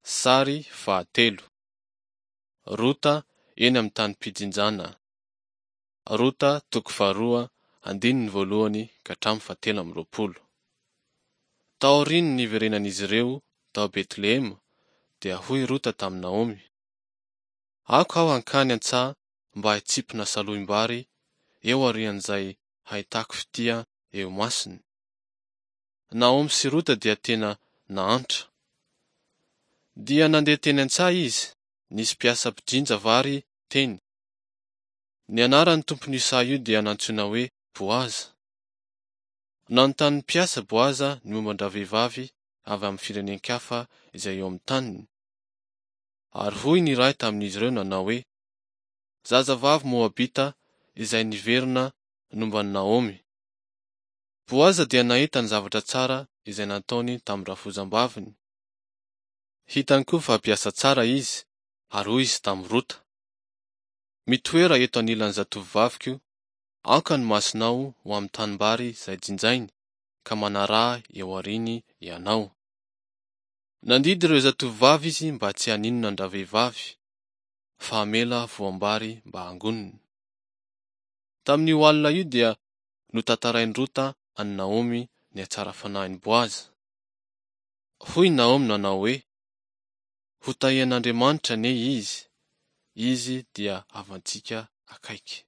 Sary fahatelo. Rota eny amin'ny tanim-pijinjana. Rota toko faharoa andininy voalohany ka hatramin'ny fahatelo amby roapolo. Taorian'ny niverenan'izy ireo tao Betlehema, dia hoy Rota tamin'i Naomy, Aoka aho hankany an-tsaha mba hitsimpona salohim-bary eo aorian'izay hahitako fitia eo imasony. Naomy sy Rota dia tena nahantra. Dia nandeha teny an-tsaha izy, nisy mpiasa mpijinja vary teny. Ny anaran'ny tompon'io saha io dia nantsoina hoe Boaza. Nanontany ny mpiasa Boaza ny momba an-dravehivavy avy amin'ny firenen-kafa izay eo amin'ny taniny. Ary hoy ny iray tamin'izy ireo nanao hoe, Zazavavy Moabita izay niverina nomban'i Naomy. Boaza dia nahita ny zavatra tsara izay nataony tamin'ny rafozam-baviny. Hitany koa fa mpiasa tsara izy, ary hoy izy tamin'i Rota, Mitoera eto anilan'ny zatovovaviko, aoka ny masonao ho amin'ny tanimbary izay jinjainy, ka manaraha eo aoriany ianao. Nandidy ireo zatovovavy izy mba tsy haninona an-dravehivavy, fa hamela voam-bary mba hangoniny. Tamin'io alina io dia notantarain'i Rota an'i Naomy ny hatsara-fanahin'i Boaza. Hoy Naomy nanao hoe, Hotahian'Andriamanitra anie izy, izy dia havantsika akaiky.